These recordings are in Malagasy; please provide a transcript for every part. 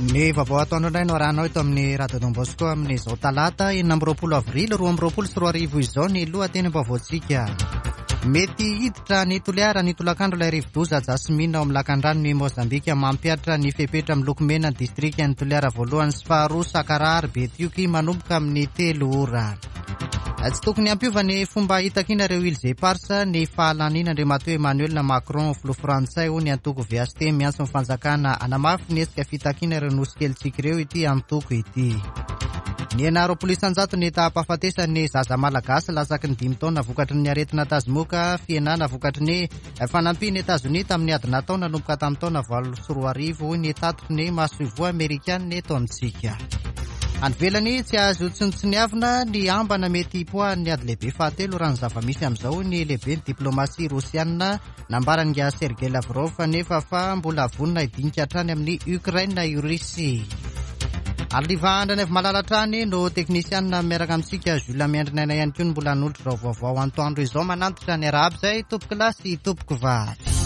Ny vaovao atoandro indray no arahanao eto amin'ny Radio Don Bosco amin'izao talata 26 avrily 2022 izao ny lohatenim-baovaontsika. Mety hiditra ny Toliara ny tolakandro ilay rivodoza Jasmine ao amin'ny lakandranon'i Mozambika mampihatra ny fepetra miloko mena ny distrikan'i Toliara voalohany sy faharoa Sakaraha ary Betioky manomboka amin'ny telo ora. Tsy tokony hampiova ny fomba hitakiana ireo Îles Éparses ny fahalaniana Andriamatoa Emmanuel Macron filoha frantsay hoy ny antoko VHT miantso ny fanjakana hanamafy ny hetsika fitakiana ireo nosy kelintsika ireo ity antoko ity. Nihena 20% ny taham-pahafatesan'ny zaza malagasy latsaky ny dimy taona vokatry ny aretina tazomoka, fihenana vokatry ny fanampian'i Etazonia tamin'ny ady natao nanomboka tamin'ny taona 2008 hoy ny tatitry ny masoivoho amerikanina eto amintsika. Any ivelany, tsy azo tsinontsiniavina ny ambana mety hipoahan'ny ady lehibe fahatelo raha ny zava-misy amin'izao hoy ny lehiben'ny diplaomasia rosianina. Nambaran'ingahy Sergei Lavrov anefa fa mbola vonona hidinika hatrany amin'i Ukraine i Russie. Arliva Andrianaivomalala hatrany no teknisianina miaraka amintsika. Jules Miandrinaina ihany koa no mbola hanolotra izao vaovao antoandro izao. Manantitra ny arahaba izay tompoko lahy sy tompoko vavy.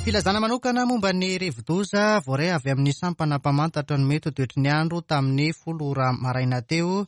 Filazana manokana momba ny rivodoza voaray avy amin'ny sampana mpamantatra ny mety ho toetry ny andro tamin'ny folo ora maraina teo.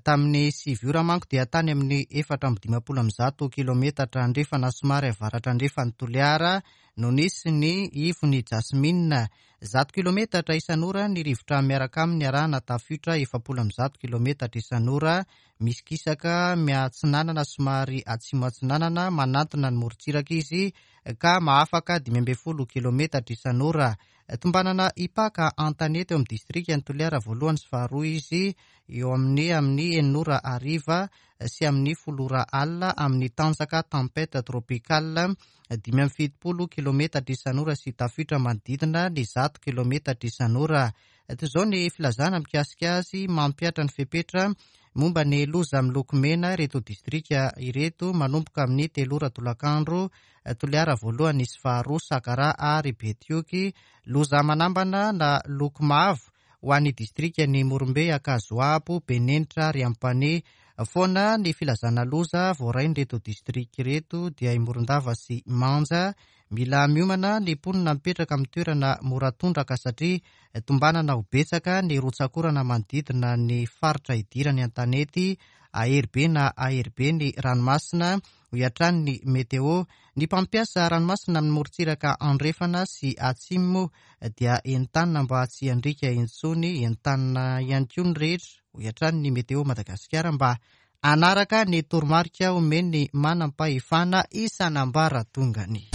Tamin'ny sivy ora manko dia tany amin'ny 154 kilometatra andrefana somary avaratra andrefan'i Toliara no nisy ny ivon'i Jasmine. 100 kilometatra isan'ora ny rivotra miaraka aminy arahana tafiotra 140 kilometatra isan'ora. Misy kisaka miatsinanana somary atsimo atsinanana manantona ny morontsiraka izy ka mahafaka 15 kilometatra isan'ora. Tombanana hipaka an-tanety eo amin'ny distrikan'i Toliara voalohany sy faharoa izy eo amin'ny amin'ny enina ora hariva sy amin'ny folo ora alina amin'ny tanjaka tempête tropicale 75 kilometatra isan'ora sy tafiotra manodidina ny 100 kilometatra isan'ora. Toy izao ny filazana mikasika azy, mampihatra ny fepetra momba ny loza miloko mena ireto distrika ireto manomboka amin'ny telo ora tolakandro, Toliara voalohany sy faharoa, Sakaraha ary Betioky. Loza manambana na loko mavo ho an'ny distrikan'i Morombe, Ankazoabo, Benenitra ary Ampanihy. Foana ny filazana loza voarain'ireto distrika ireto dia i Morondava sy Manja. Mila miomana ny mponina mipetraka amin'ny toerana mora tondraka satria tombanana ho betsaka ny rotsak'orana manodidina ny faritra idirany an-tanety, hahery be na hahery be ny ranomasina, hoy hatrany ny Météo. Ny mpampiasa ranomasina amin'ny morontsiraka andrefana sy atsimo moa dia entanina mba tsy handriaka intsony, entanina ihany koa ny rehetra, hoy hatrany ny Météo Madagasikara mba Hanaraka ny toromarika omen'ny manam-pahefana isan'ambaratongany.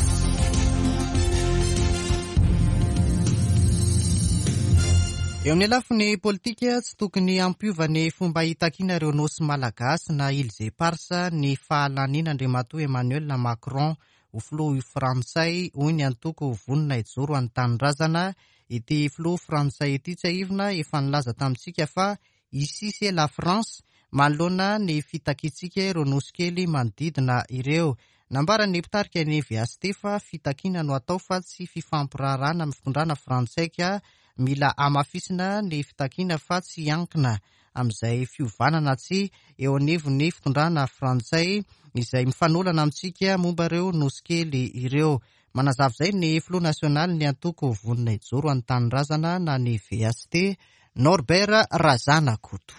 Eo amin'ny lafiny politika, tsy tokony hampiova ny fomba hitakiana ireo nosy malagasy na Îles Éparses ny fahalanian'Andriamatoa Emmanuel Macron ho filoha frantsay, hoy ny antoko Vonona Hijoro an'ny Tanindrazana. Ity filoha frantsay ity, tsiahivina, efa nilaza tamintsika fa Ici c'est la France, manoloana ny fitakiantsika ireo nosy kely manodidina ireo. Nambaran'ny mpitarika ny VHT fa fitakiana no atao fa tsy fifampiraharahana amin'ny fitondrana frantsay ka mila hamafisina ny fitakiana fa tsy hiankina amin'izay fiovana na tsia eo anivon'ny fitondrana frantsay izay mifanolana amintsika momba ireo nosy kely ireo. Manazava izay ny filoha nasionalin'ny antoko Vonona Hijoro an'ny Tanindrazana na ny VHT, Norbert Razanakoto.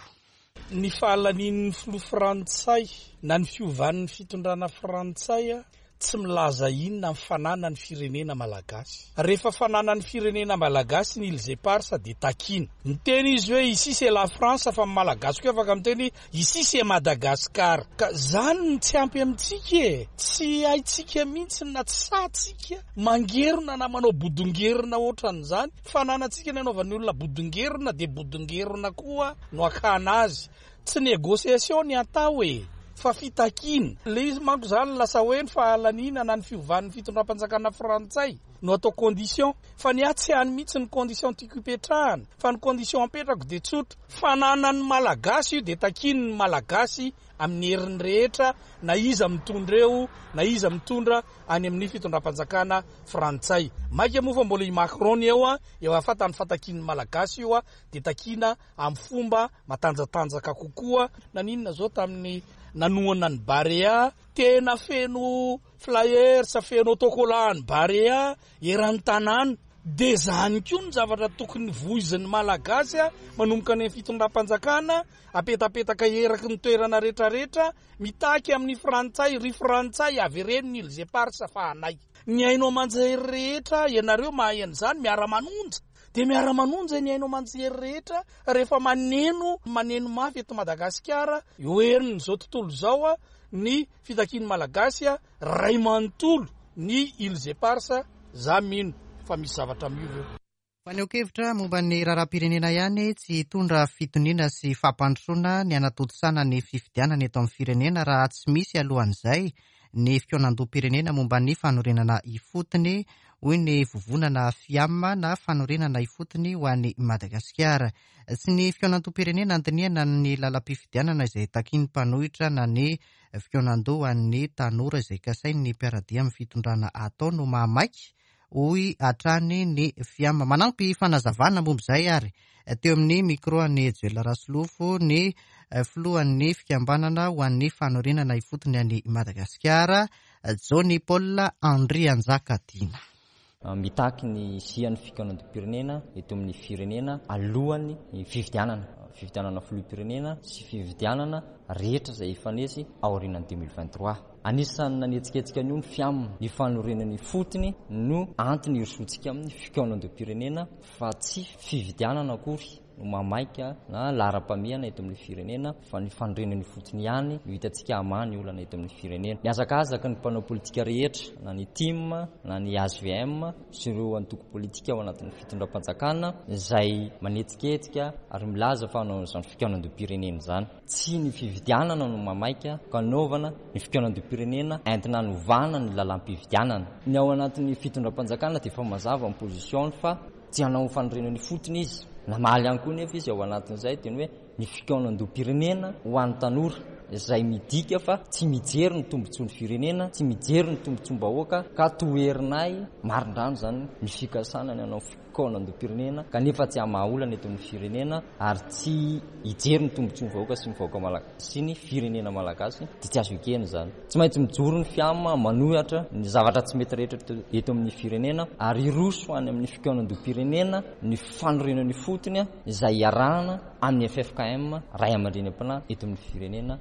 Ny fahalanian'ny filoha frantsay na ny fiovan'ny fitondrana frantsay tsy milaza inona amin'ny fananan'ny firenena malagasy. Rehefa fananan'ny firenena malagasy ny Îles Éparses dia takiana. Miteny izy hoe ici c'est la France fa ny malagasy koa afaka miteny hoe ici c'est Madagascar. Ka zany no tsy ampy amintsika e! Tsy haintsika mihitsy na tsy sahintsika mangerona na manao bodongerona ohatran'izany. Fananantsika ny anaovan'ny olona bodongerona dia bodongerona koa no akana azy. Tsy négociation ny atao e! Fa fitakiana. Ilay izy manko izany lasa hoe ny fahalaniana na ny fiovan'ny fitondram-panjakana frantsay no atao condition. Fa ny ahy tsy any mihitsy ny condition tiako hipetrahana fa ny condition apetrako dia tsotra. Fananan'ny Malagasy io dia takiany ny Malagasy amin'ny heriny rehetra na iza mitondra eo na iza mitondra any amin'ny fitondram-panjakana frantsay. Maika moa fa mbola i Macron ny eo an, eo afatany fa takian'ny Malagasy io dia takiana amin'ny fomba matanjatanjaka kokoa. Naninona zao tamin'ny nanohana ny Barea, tena feno flyers, feno autocollant an'i Barea eran'ny tanàna. Dia izany koa ny zavatra tokony voizin'ny Malagasy manomboka any amin'ny fitondram-panjakana, apetapetaka eraky ny toerana rehetrarehetra, mitaky amin'ny Frantsay, ry Frantsay avereno ny Îles Éparses fa anay. Ny haino aman-jery rehetra, ianareo mahay an'izany, miara-manonja. Dia miara-manonja ny haino aman-jery rehetra rehefa maneno, maneno mafy eto Madagasikara, eo herin'izao tontolo izao ny fitakian'ny Malagasy ray manontolo ny Îles Éparses, za mino fa misy zavatra miova eo. Fanehoan-kevitra momba ny raharaham-pirenena ihany, tsy hitondra fitoniana sy fampandrosoana ny hanatontosana ny fifidianana eto amin'ny firenena raha tsy misy alohan'izay ny fikaonandoham-pirenena momba ny fanorenana ifotony, hoy ny vovonana FIAM na Fanorenana Ifotony ho an'i Madagasikara. Tsy ny fikaonandoham-pirenena handinihana ny lalam-pifidianana izay takian'ny mpanohitra na ny fikaonandoha ho an'ny tanora izay kasain'ny mpiara-dia amin'ny fitondrana atao no mahamaika, hoy hatrany ny FIAM. Manampy fanazavana momba izay ary teo amin'ny micro an'i Joel Rasolofo ny filohan'ny fikambanana ho an'ny fanorenana ifotony any Madagasikara, Johnny Paul Andrianjakatiana. Mitaky ny hisian'ny fikaonandoham-pirenena eto amin'ny firenena alohan'ny fifidianana, fifidianana filoham-pirenena sy fifidianana rehetra izay hifanesy aorianan'ny 2023. Anisan'ny nanetsiketsika an'io ny FIAM. Ny fanorenana ifotony no antony hirosoantsika amin'ny fikaonandoham-pirenena fa tsy fifidianana akory no mahamaika na laharam-pahamehana eto amin'ny firenena fa ny fanorenana ifotony ihany no hitantsika hamaha ny olana eto amin'ny firenena. Mihazakazaka ny mpanao politika rehetra na ny tim na ny hvm sy ireo antoko politika ao anatin'ny fitondram-panjakana izay manetsiketsika ary milaza fa hanao an'izany fikaonandoham-pirenena izany. Tsy ny fifidianana no mamaika ka anaovana ny fikaonandoham-pirenena entina hanovana ny lalàm-pifidianana. Ny ao anatin'ny fitondram-panjakana dia efa mazava ny position-ny fa tsy hanao ny fanorenana ifotony izy. Namaly ihany koa nefa izy ao anatin'izay dia ny hoe ny fikaonandoham-pirenena ho an'ny tanora izay midika fa tsy mijery ny tombotsoan'ny firenena, tsy mijery ny tombotsoam-bahoaka ka toherinay marindrano izany ny fikasana ny hanao fikaonandoham-pirenena kanefa tsy hamaha olana eto amin'ny firenena ary tsy hijery ny tombotsoan'ny vahoaka sy ny vahoaka malagasy sy ny firenena malagasy dia tsy azo ekena izany. Tsy maintsy mijoro ny FIAM manohitra ny zavatra tsy mety rehetra eto amin'ny firenena ary hiroso any amin'ny fikaonandoham-pirenena ny fanorenana ifotony izay iarahana amin'ny ffkm ray aman-dreny am-panahy eto amin'ny firenena.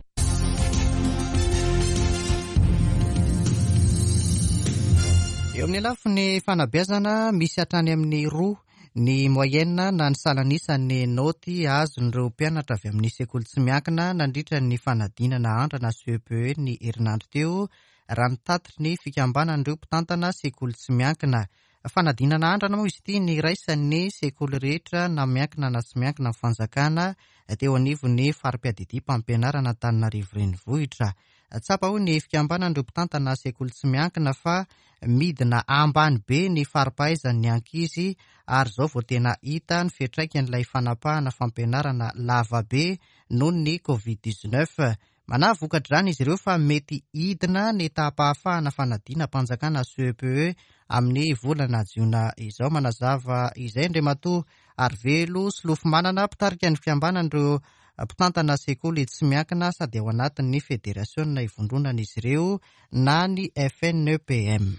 Eo amin'ny lafiny fanabeazana, misy hatrany amin'ny roa ny moyenne na ny salan'isan'ny naoty azon'ireo mpianatra avy amin'ny sekoly tsy miankina nandritra ny fanadinana andrana CEPE ny herinandro teo, raha ny tatitry ny fikambanan'ireo mpitantana sekoly tsy miankina. Fanadinana andrana moa izy ity niraisan'ny sekoly rehetra na miankina na tsy miankina amin'ny fanjakana teo anivon'ny fari-piadidiam-pampianarana Antananarivo Renivohitra. Tsapa hoy ny fikambanan'ireo mpitantana sekoly tsy miankina fa midina ambany be ny fari-pahaizan'ny ankizy ary izao vao tena hita ny fiantraikan'ilay fanapahana fampianarana lavabe noho ny Covid 19. Manahy vokatr'izany izy ireo fa mety hidina ny taham-pahafahana fanadinam-panjakana CEPE amin'ny volana jiona izao. Manazava izay Andriamatoa Arivelo Solofomanana, mpitarika ny fikambanan'ireo mpitantana sekoly tsy miankina sady ao anatin'ny federasiona ivondronan'izy ireo na ny FNEPM.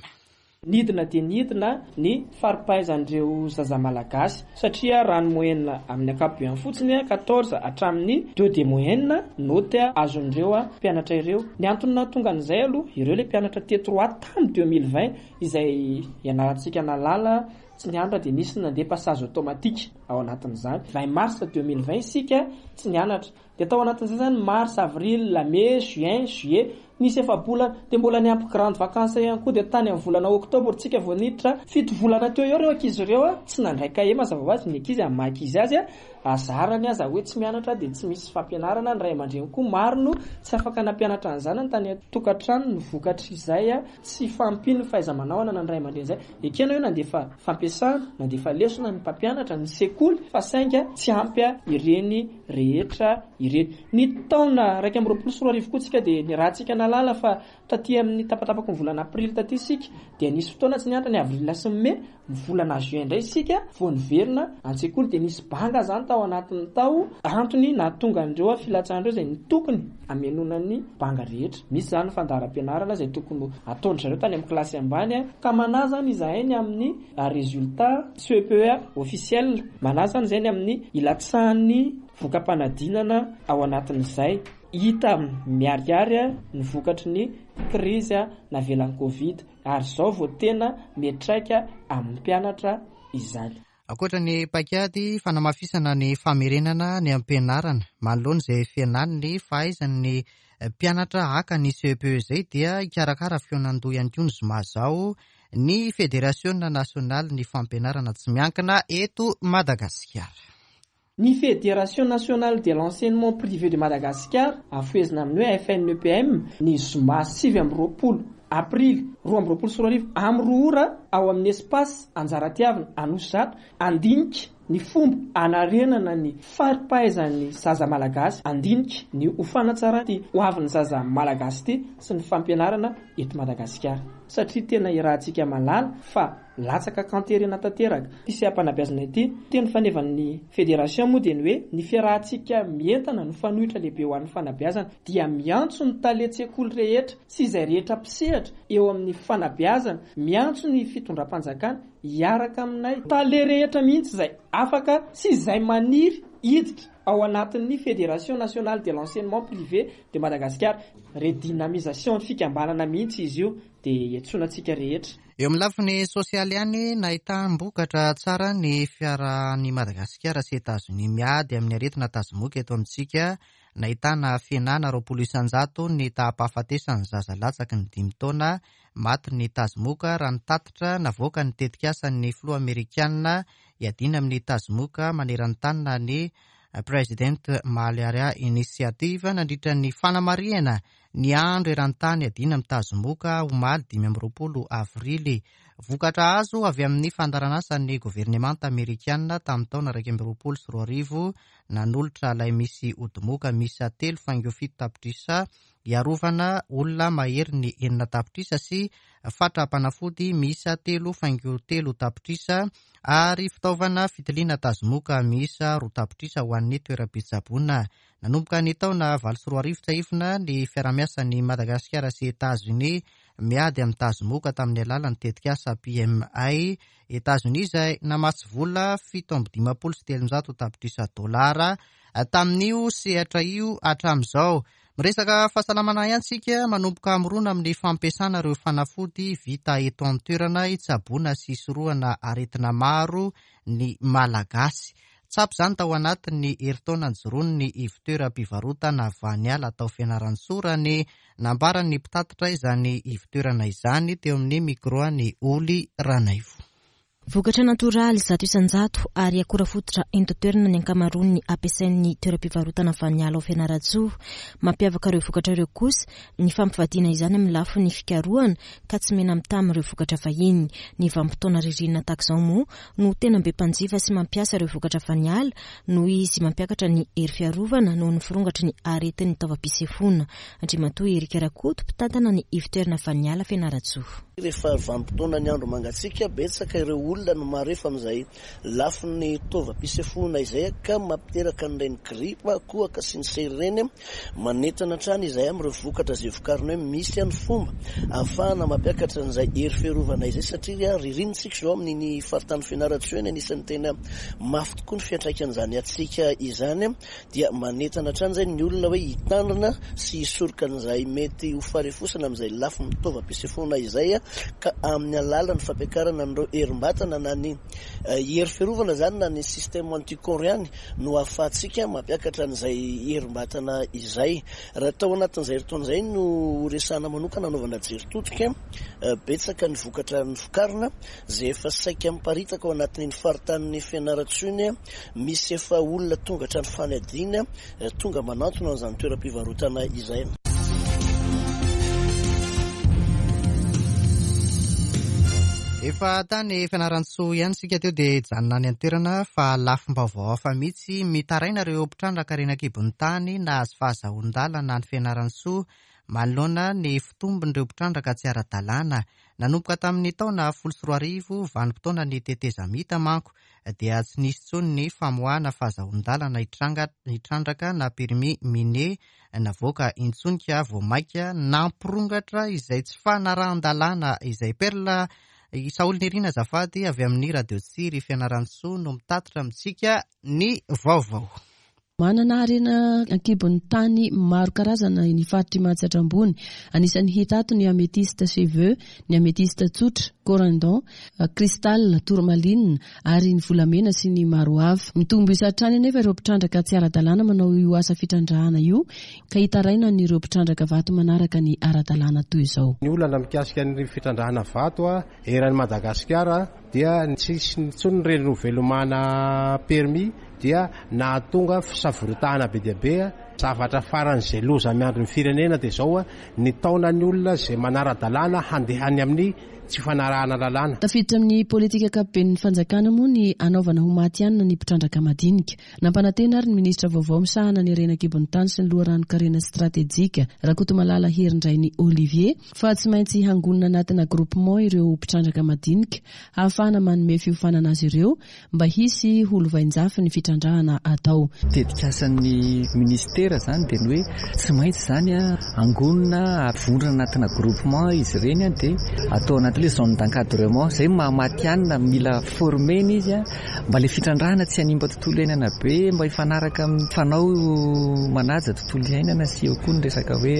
Nidina dia nidina ny fari-pahaizan'ireo zaza malagasy satria raha ny moyenne amin'ny ankapobeny fotsiny, 14 hatramin'ny deux de moyenne note azon'ireo mpianatra ireo. Ny antony nahatonga an'izay aloha, ireo ilay mpianatra T3 tamin'ny 2020 izay ianarantsika nahalala tsy nianatra dia nisy ny nandeha passage automatique ao anatin'izany. 20 mars 2020 isika tsy nianatra. Dia tao anatin'izay izany mars, avril, mai, juin, juillet, nisy efa-bolana, dia mbola niampy grande vacances ihany koa, dia tany amin'ny volana octobre tsika vao niditra, fito volana teo eo ireo ankizy ireo tsy nandray cahier mazava ho azy, ny ankizy amin'ny maha ankizy azy azarany aza hoe tsy mianatra dia tsy misy fampianarana, ny ray aman-dreny koa maro no tsy afaka nampianatra ny zanany tany an-tokantrano ny vokatr'izay tsy fahampian'ny fahaiza-manao ananan'ny ray aman-dreny izay. Ekena hoe nandefa fampiasana, nandefa lesona ny mpampianatra, ny sekoly fa sainga tsy ampy ireny rehetra ireny. Ny taona 2021 koa tsika dia niarahantsika nahalala fa taty amin'ny tapatapaky ny volana aprily taty isika dia nisy fotoana tsy niantra ny avril sy ny mai, ny volana juin indray isika vao niverina an-tsekoly dia nisy banga izany tao. tao anatin'ny tao, antony nahatonga an'ireo filatsahana ireo izay ny tokony hamenoana ny banga rehetra. Misy izany fandaharam-pianarana izay tokony ho ataon-dry zareo tany amin'ny kilasy ambany ka manahy izany izahay ny amin'ny résultat CEPE officiel, manahy izany izahay ny amin'ny hilatsahan'ny voka-panadinana ao anatin'izay. Hita miharihary ny vokatry ny krizy navelan'ny Covid ary izao vao tena miantraika amin'ny mpianatra izany. Ankoatra ny paikady fanamafisana ny famerenana ny ampianarana manoloana izay fihenan'ny fahaizan'ny mpianatra haka ny CEPE izay dia hikarakara fihaonan-doha ihany koa ny zoma izao ny Federasiona nasionalin'ny fampianarana tsy miankina eto Madagasikara. Ny Fédération Nationale de l'Enseignement Privé de Madagascar, afohezina amin'ny hoe FNEPM, ny zoma 29 aprily 2022 amin'ny 2 ora ao amin'ny Espace Anjaratiavina Anosizato handinika ny fomba hanarenana ny fari-pahaizan'ny zaza malagasy, handinika ny ho fanatsarana ity hoavin'ny zaza malagasy ity sy ny fampianarana eto Madagasikara. Satria tena iarahantsika mahalala fa Latsaka an-kanterena tanteraka ity seha-panabeazana ity. Teny fanevan'ny Federation moa dia ny hoe ny fiarahantsika mientana no fanoitra lehibe ho an'ny fanabeazana dia miantso ny talen-tsekoly rehetra sy izay rehetra mpisehatra eo amin'ny fanabeazana, miantso ny fitondram-panjakana hiaraka aminay tale rehetra mihitsy izay afaka sy izay maniry hiditra ao anatin'ny Fédération Nationale de l'Enseignement Privé de Madagascar. Redynamisation ny fikambanana mihitsy izy io dia iantsoana antsika rehetra. Eo amin'ny lafiny sosialy ihany, nahitam-bokatra tsara ny fiarahan'i Madagasikara sy Etazonia miady amin'ny aretina tazomoka eto amintsika. Nahitana fihenana 20% ny taham-pahafatesan'ny zaza latsaky ny dimy taona matin'ny tazomoka raha ny tatitra navoakan'ny tetikasan'ny filoha amerikanina hiadiana amin'ny tazomoka maneran-tany na ny President Malaria Initiative nandritra ny fanamarihana Ny andro eran-tany iadiana amin'ny tazomoka, omaly 25 avrily. Vokatra azo avy amin'ny fandaharanasan'ny governemanta amerikana tamin'ny taona 2021 nanolotra lay misy odimoka miisa telo faingo fito tapitrisa hiarovana olona maherin'ny enina tapitrisa sy fatram-panafody miisa telo faingo telo tapitrisa ary fitaovana fitiliana tazomoka miisa roa tapitrisa ho an'ny toeram-pitsaboana Nanomboka ny taona 2008 tsiahivina ny fiarahamiasan'i Madagasikara sy Etazonia miady amin'ny tazomoka tamin'ny alalan'ny tetikasa PMI Etazonia izay namatsy vola 357 tapitrisa dolara tamin'io sehatra io hatramin'izao. Miresaka fahasalamana ihany isika, manomboka mirona amin'ny fampiasana ireo fanafody vita eto an-toerana hitsaboana sy hisorohana aretina maro ny Malagasy. Tsapa izany tao anatin'ny herintaona nijoroan'ny ivontoeram-pivarotana Vaniala tao Fianarantsoa raha ny nambaran'ny mpitatitra izany ivontoerana izany teo amin'ny micro an'i Holy Ranaivo. Vokatra natoraly 100% ary akora fototra eto an-toerana ny ankamaroan'ny ampiasain'ny toeram-pivarotana Vaniala ao Fianarantsoa. Mampiavaka ireo vokatra ireo kosa ny fampivadiana izany amin'ny lafiny fikarohana ka tsy mena-mitaha amin'ireo vokatra vahiny. Ny vanim-potoana ririnina tahaka izao moa no tena be mpanjifa sy mampiasa ireo vokatra vaniala noho izy mampiakatra ny hery fiarovana noho ny firongatry ny aretin'ny taovam-pisefoana. Andriamatoa Eric Rakoto, mpitantana ny ivotoerana Vaniala Fianarantsoa. Rehefa vanim-potoanan'ny andro mangatsiaka, betsaka ireo olona no marefo amin'izay lafiny taovam-pisefoana izay ka mampiteraka an'ireny gripa, kohaka sy ny sery ireny. Manentana hatrany izahay amin'ireo vokatra izay vokarina hoe misy ny fomba ahafahana mampiakatra an'izay hery fiarovana izay satria ririnina isika izao amin'iny faritany Fianarantsoa iny anisan'ny tena mafy tokoa ny fiantraikan'izany hatsiaka izany dia manentana hatrany izay ny olona hoe hitandrina sy hisoroka an'izay mety ho faharefosana amin'izay lafiny taovam-pisefoana izay ka amin'ny alalan'ny fampiakarana an'ireo herim-batana na ny hery fiarovana izany na ny système anticorps ihany no ahafahantsika mampiakatra an'izay herim-batana izay. Raha tao anatin'izay herintaona izay no horesahana manokana hanaovana jery todika, betsaka ny vokatra novokarina izay efa saika miparitaka ao anatin'iny faritanin'i Fianarantsoa iny, misy efa olona tonga hatrany Fanadina tonga manantona an'izany toeram-pivarotana izay. Efa tany Fianarantsoa ihany isika teo dia hijanona any an-toerana fa lafim-baovao hafa mihitsy. Mitaraina ireo mpitrandraka harena an-kibon'ny tany nahazo fahazahoan-dalana any Fianarantsoa manoloana ny fitombon'ireo mpitrandraka tsy ara-dalàna. Nanomboka tamin'ny taona 2010, vanim-potoanan'ny tetezamita manko, dia tsy nisy intsony ny famoahana fahazahoan-dalana hitrandraka na permis minier navoaka intsony ka vao mainka nampirongatra izay tsy fanarahan-dalàna izay. Perle Saholinirina azafady avy amin'ny Radio Tsiry Fianarantsoa no mitatitra amintsika ny vaovao. Manana harena an-kibon'ny tany maro karazana ny faritr'i Mahatsiatra Ambony. Anisan'ny hita ato ny amethyste cheveux, ny amethyste tsotra, corindon, cristal, tourmaline, ary ny volamena sy ny maro hafa. Mitombo isa hatrany anefa ireo mpitrandraka tsy ara-dalàna manao io asa fitrandrahana io ka hitarainan'ireo mpitrandraka vato manaraka ny ara-dalàna toy izao. Ny olana mikasika ny fitrandrahana vato eran'i Madagasikara dia tsy hisy intsony ny renouvellement permis dia nahatonga fisavoritahana be dia be. Zavatra faran'izay loza miandry ny firenena dia izao, ny taonan'ny olona izay manara-dalàna handeha any amin'ny tsy fanarahana lalàna. Tafiditra amin'ny politika ankapoben'ny fanjakana moa ny hanaovana ho matihanina ny mpitrandraka madinika. Nampanantena ary ny minisitra vaovao misahana ny harena an-kibon'ny tany sy ny loharanon-karena stratejika, Rakotomalala Herindrainy Olivier, fa tsy maintsy hangonina anatina groupement ireo mpitrandraka madinika hahafahana manome fiofanana azy ireo mba hisy ho lovainjafy ny fitrandrahana atao. Tetikasan'ny minisitera izany dia ny hoe tsy maintsy izany angonina avondrona anatina groupement izy ireny dia atao anatin'ilay zone d'encadrement. Izay no maha matihanina, mila former-na izy mba ilay fitrandrahana tsy hanimba tontolo iainana be, mba hifanaraka amin'ny fanao manaja tontolo iainana sy eo koa ny resaka hoe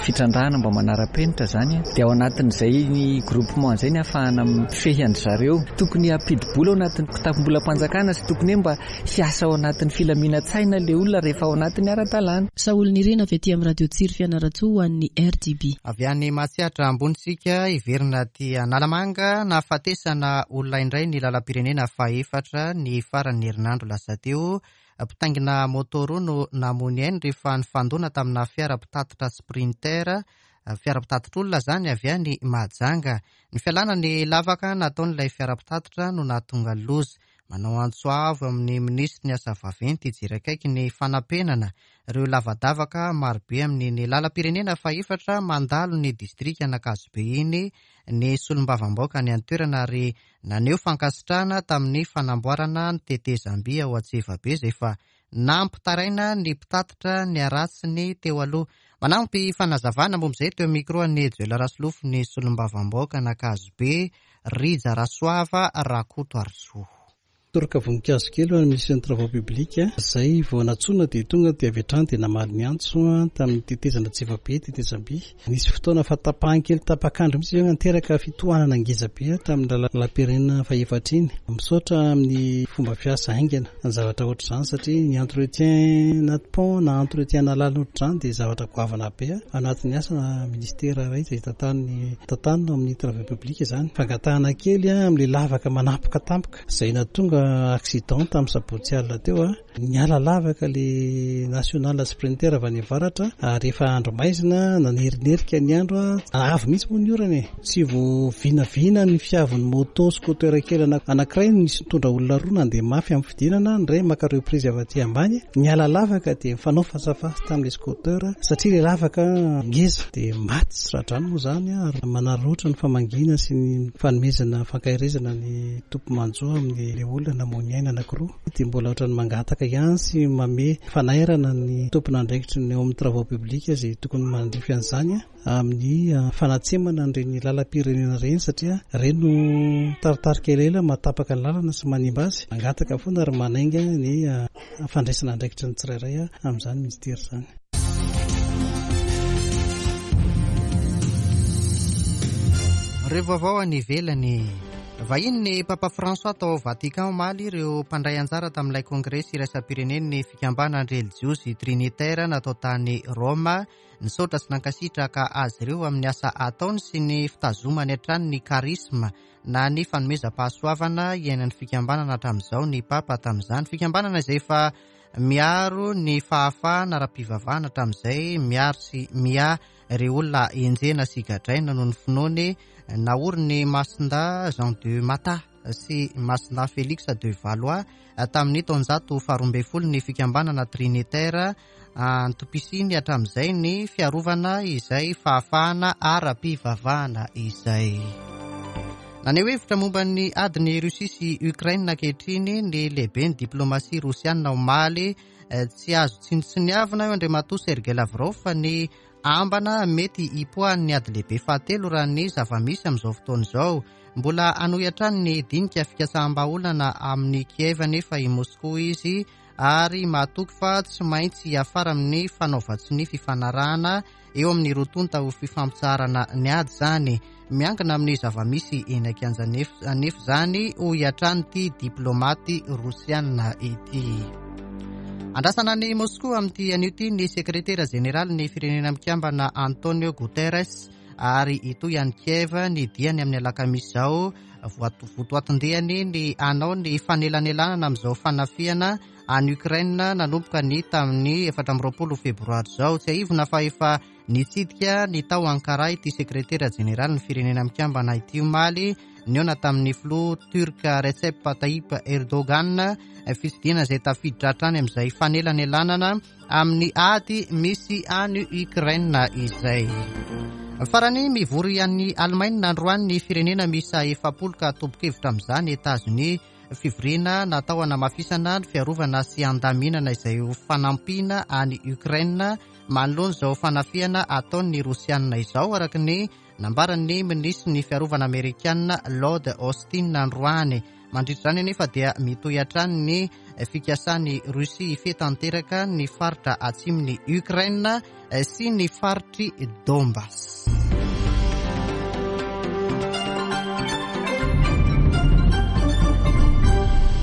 fitrandrahana mba manara-penitra izany dia ao anatin'izay ny groupement izay ny ahafahana mifehy an-dry zareo. Tokony hampidi-bola ao anatin'ny kitapom-bolam-panjakana sy tokony hoe mba hiasa ao anatin'ny filaminan-tsaina ilay olona rehefa ao anatin'ny ara-dalàna. Saholinirina avy aty amin'ny Radio Tsiry Fianarantsoa ho an'ny RDB. Avy any Mahatsiatra ambony isika hiverina aty Analamanga, nahafatesana olona indray ny lalam-pirenena fahefatra ny faran'ny herinandro lasa teo. Mpitaingina moto roa no namoy ny ainy rehefa nifandona tamina fiara mpitatitra Sprinter, fiara mpitatitr'olona izany, avy any Mahajanga. Ny fialana ny lavaka nataon'ilay fiara mpitatitra no nahatonga ny loza. Manao antso avo amin'ny minisitry ny asa vaventy hijery akaiky ny fanapenana ireo lavadavaka marobe amin'iny lalam-pirenena fahefatra mandalo ny distrikan'Ankazobe iny ny solombavambaoka any an-toerana ary Naneho fankasitrahana tamin'ny fanamboarana ny tetezam-by ao Antsevabe izay efa nampitaraina ny mpitatitra ny haratsiny teo aloha. Manampy fanazavana momba izay teo micro an'i Joel Rasolofo ny solombavambahoaka an'Ankazobe, Rija Rasoava Rakotoarisoa. Toroka voninkazo kely ho an'ny Minisitry ny Travaux Publics izay vao nantsoina dia tonga dia avy hatrany dia namaly ny antso tamin'ny tetezana Antsevabe, tetezam-by. Nisy fotoana fahatapahan kely tapak'andro mihitsy izay niteraka fitohanana ngeza be tamin'ny lalam-pirenena fahefatra iny. Misaotra amin'ny fomba fiasa haingana ny zavatra ohatr'izany satria ny entretien na pont na entretien na lalana ohatr'izany dia zavatra goavana be anatin'ny asana ministera iray izay tantaniny tantanina ao amin'ny travaux publics izany. Fangatahana kely amin'ilay lavaka manapoka tampoka izay nahatonga accident tamin'ny sabotsy alina teo. Niala lavaka le national sprinter avy any avaratra ary efa andro maizina, nanerinerika ny andro, avy mihitsy moa ny orana e! Tsy vao vinavina ny fiavin'ny moto scooter kely anankiray nisy nitondra olona roa nandeha mafy amin'ny fidinana, ny iray maka reprise avy aty ambany, niala lavaka dia nifanao face à face tamin'ilay scooter satria ilay lavaka ngeza dia maty tsy ra-drano moa izany ary manararaotra ny famangiana sy ny fanomezana fankaherezana ny tompo-manjo amin'ilay olona namoy ny aina anankiroa. Dia mbola ohatran'ny mangataka ihany sy manome fanairana ny tompon'andraikitry ny ao amin'ny travaux publics izay tokony manandrify an'izany amin'ny fanatsemana an'ireny lalam-pirenena ireny satria ireny no taritarika elaela mahatapaka ny lalana sy manimba azy. Mangataka foana ary manainga ny fandraisana andraikitry ny tsirairay amin'izany minisitera izany. Ireo vaovao any ivelany. Vahiny ny Papa François tao Vatican omaly ireo mpandray anjara tamin'ilay kongresy iraisam-pirenen'ny fikambanana relijiozy Trinitaire natao tany Roma. Nisaotra sy nankasitraka azy ireo amin'ny asa ataony sy ny fitazomany hatrany ny charisme na ny fanomezam-pahasoavana iainan'ny fikambanana hatramin'izao ny Papa tamin'izany. Fikambanana izay efa Miaro ny fahafahana ara-pivavahana hatramin'izay, miaro sy miahy ireo olona enjehina sy gadraina noho ny finoany, naorin'i Masindahy Jean de Matha sy Masindahy Félix de Valois tamin'ny taonjato faharoa ambin'ny folo ny fikambanana Trinitaire, antom-pisiany hatramin'izay ny fiarovana izay fahafahana ara-pivavahana izay. Naneho hevitra momba ny adin'i Russie sy Ukraine ankehitriny ny lehiben'ny diplomasia rosiana omaly. Tsy azo tsinontsiniavina io Andriamatoa Sergei Lavrov fa ny ambana mety hipoahan'ny ady lehibe fahatelo raha ny zava-misy amin'izao fotoana izao. Mbola hanohy hatrany ny dinika fikatsaham-bahaolana amin'i Kiev anefa i Moskoa izy ary mahatoky fa tsy maintsy hiafara amin'ny fanaovan-tsonia fifanarahana eo amin'ny roa tonta ho fifampitsaharana ny ady izany. Miankina amin'ny zava-misy eny an-kianja anefa izany, hoy hatrany ity diplaomaty rosiana ity. Andrasana any Moskoa amin'ity anio ity ny sekretera jeneralin'ny Firenena Mikambana Antonio Guterres ary hitohy any Kiev ny diany amin'ny alakamisy izao. Votoatin-diany ny hanao ny fanelanelanana amin'izao fanafihana any Ukraine nanomboka ny tamin'ny 24 febroary izao. Tsiahivina fa efa nitsidika ny tao Ankara ity sekretera jeneralin'ny Firenena Mikambana ity omaly, nihaona tamin'ny filoha Turc Recep Tayyip Erdogan, fitsidihana izay tafiditra hatrany amin'izay fanelanelanana amin'ny ady misy any Ukraine izay. Farany, mivory any Alemaina androany ny firenena miisa 40 ka tompon-kevitra amin'izany Etazonia. Fivoriana natao hanamafisana ny fiarovana sy handaminana izay ho fanampiana any Ukraine manoloana izao fanafihana ataon'ny Rosianina izao, araka ny nambaran'ny minisitry ny fiarovana amerikana Lloyd Austin androany. Mandritra izany anefa dia mitohy hatrany ny fikasan'i Russie hifehy tanteraka ny faritra atsimon'i Ukraine sy ny faritr'i Donbass.